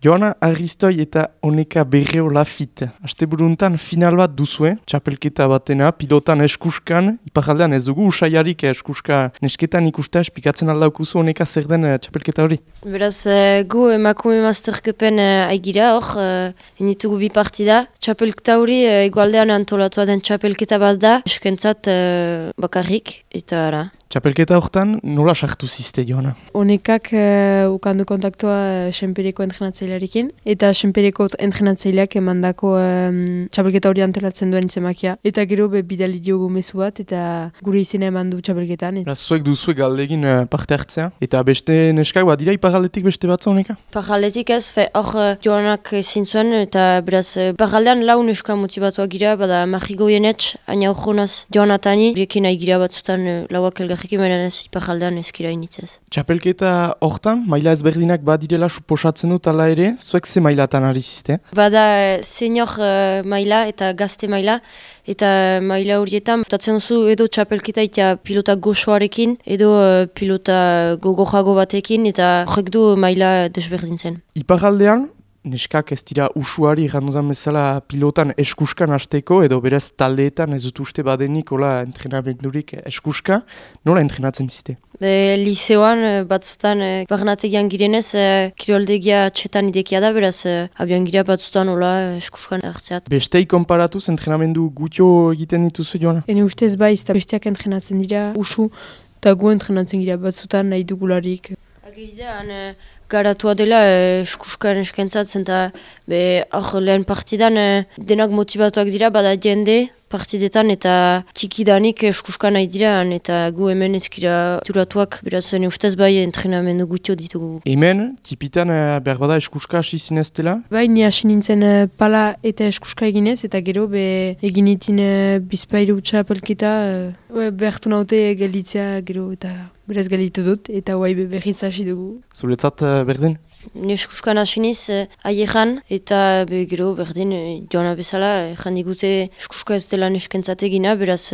Joana Aristoi eta Oneka Berreo Lafit. Asteburuntan final bat duzue, txapelketa batena, pilotan eskuskan, iparaldean ez dugu usaiarik eskuska nesketan ikustea, espikatzen aldaukuzu Oneka zer den txapelketa hori? Beraz, gu emakume masterkepen aigira hor, initugu bi partida. Txapelketa hori igualdean antolatua den txapelketa bat da, eskentzat bakarrik, eta ara. Txapelketa hortan nola sartu ziste, Joana? Onekak ukandu kontaktua Senpereko entrenatzailearekin, eta Senpereko entrenatzaileak emandako txapelketa hori antolatzen duen zemakia. Eta gero bidali diogu mezu bat, eta gure izena eman du txapelketan. Zuek duzuek galdegin parte hartzea, eta beste neskak bat dira iparaldetik beste batza, Oneka? Iparaldetik ez, hor Joanak ezin zuen, eta beraz, iparaldean lau neska motibatuak gira, bada Marrigoienetx, aina urgunaz Joanatani, birekin aigira batzutan lauak elgarrikin, baina ez iparaldean ezkira initzez. Txapelketa hortan, maila ezberdinak badirela suposatzen dut ala ere, zuek ze mailatan ari ziste? Bada senior maila eta gazte maila, eta maila horietan putatzen duzu edo txapelketa eta pilota goxoarekin, edo pilota gogojago batekin, eta horrek du maila desberdintzen. Iparaldean, neskak ez dira usuari gandudan bezala pilotan eskuskan hasteko, edo berez taldeetan ez dut uste badenik hola entrenamendurik eskuska, nola entrenatzen ziste? Liseoan batzutan barnategian girenez, kiroldegia txetan idekia da, beraz abian gira batzutan hola eskuskan hartzeat. Bestei konparatuz entrenamendu gutio egiten dituzu, Joana? Ene ustez baiz, eta besteak entrenatzen dira usu, eta gu entrenatzen gira batzutan nahi dugularik. Agiridean garatua dela eskuskan eskentzat, eta hor lehen partidan denak motibatuak dira, bada jende partidetan eta txikidanik eskuskan nahi dira, eta gu hemen ezkira turatuak, beraz ustez bai entrenamendu gutio ditugu. Hemen, tipitan behar bada eskuska hasi zineztela? Bai, ni hasi nintzen pala eta eskuska eginez, eta gero egin itin bizpairu txapelketa, behartu naute gelitzea gero, eta beraz gelitu dut, eta berriz hasi dugu. Zuretzat berdin? Ni eskuskan hasi niz aieran, eta gero berdin Joana bezala, jan digute eskuska ez dela neskentzat egina, beraz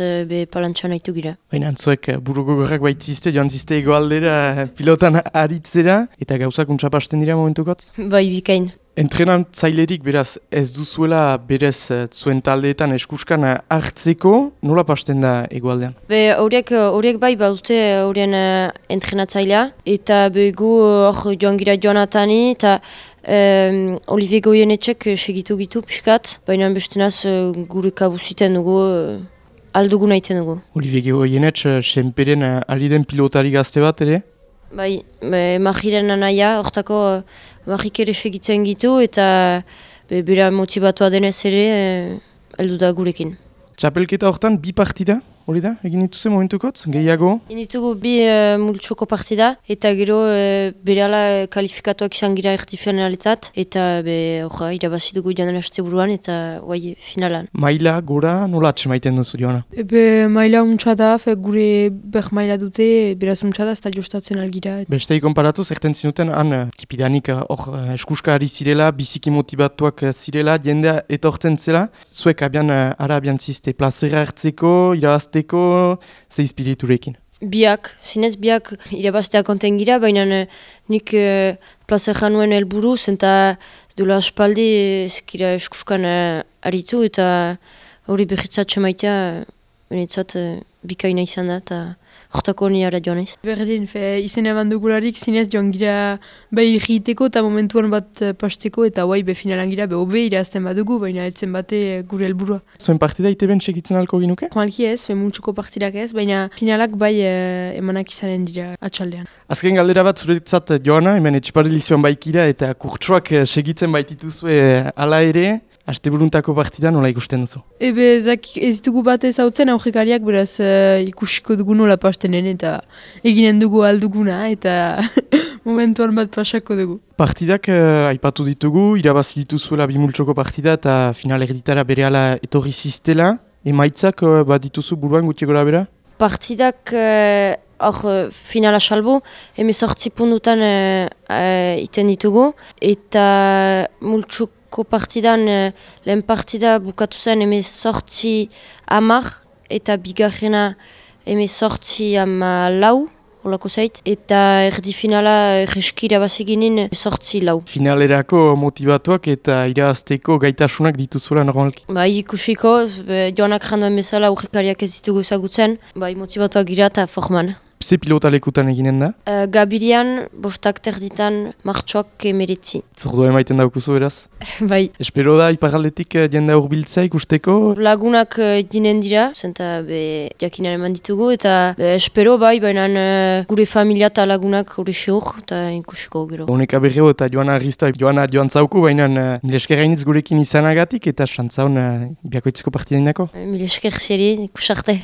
palantxan haitu gira. Baina antzuek buruko gorrak baitzizte, joan zizte egoaldera pilotan aritzera, eta gauzak untxapasten dira momentukotz? Bai, bikain. Entrenatzailerik beraz ez duzuela berez zuen taldeetan eskuskan hartzeko, nola pasten da egoaldean? Horiek bai baute horien entrenatzailea, eta gu hor joan gira Joanatani, eta Olivier Goienetxek segitu gitu pixkat, baina bestenaz gure kabuziten dugu, aldugu nahiten dugu. Olivier Goienetx Senperen ari den pilotari gazte bat ere? Bai, Majiren anaia, hortako Majik ere segitzen gitu, eta bera motibatua denez ere heldu da gurekin. Txapelketa hortan bi partida, hori da? Egin dituze momentukotz, gehiago? Egin ditugu bi multsoko partida, eta gero berehala kalifikatuak izan gira erdifinaletat, eta irabazi dugu joan haste buruan, eta finalan. Maila, gora, nola atxemaiten duzu, Joana? Maila untsa da, gure maila dute, beraz untsa da, ez da jostatzen algira. Bestei konparatu, zerten zinuten, han tipidanik eskuska ari zirela, biziki motibatuak zirela, jendea etortzen zela, zuek abian zizte plazera hartzeko, irabazteko, ze espiriturekin? Biak, zinez biak irabaztea konten gira, baina nik plazera nuen helburu, zenta dola aspaldi ezkira eskuskan aritu, eta hori behitzatxe maitea, benetzat bikaina izan da, eta hortako ni ara joan ez. Berdin, izen eman dugularik zinez joan gira irriteko eta momentuan bat pasteko, eta finalan gira hobe irazten badugu, baina etzen bate gure helburua. Zuen partida ite ben segitzen alko ginuke? Joalki ez, multsuko partidak ez, baina finalak emanak izanen dira atxaldean. Azken galdera bat zuretzat, Joana, hemen etxiparilizioan baikira eta kurtsuak segitzen baitituzue ala ere, asteburuntako partida nola ikusten duzu? Ez dugu bat ez hautzen aurrekariak, beraz ikusiko dugu nola pastenen, eta eginen dugu alduguna, eta momentuan bat pasako dugu. Partidak aipatu ditugu, irabazi dituzuela bimultsoko partida, eta final erditara berehala etorri ziztela. Emaitzak bat dituzu buruan gutxi gora bera? Partidak finala salbu, 18 puntutan iten ditugu, eta multsoko partidan lehen partida bukatu zen 18 10, eta bigarrena 18 14, olako zait. Eta erdi finala reskira bazeginen 8-4. Finalerako motivatuak eta irabazteko gaitasunak dituzuela normalki. Bai, ikusiko, joanak janduen bezala aurrekariak ez ditugu ezagutzen, bai, motivatuak gira eta forman. Ze pilota lekutan eginen da? Gabirian, 5 terditan, martxoak 19. Zordua emaiten daukuzu beraz? Bai. Espero da iparaldetik jende hurbiltzea ikusteko? Lagunak ginen dira, zenta jakinan eman ditugu, eta espero bai, baina gure familia eta lagunak hori seur, eta ikusiko gero. Honeka berreo eta Joana Arriztoa, Joana joan zauku, baina mil esker gainitz gurekin izanagatik eta xantzaun biakoitzeko partidainako. Mil esker zeri, ikusarte.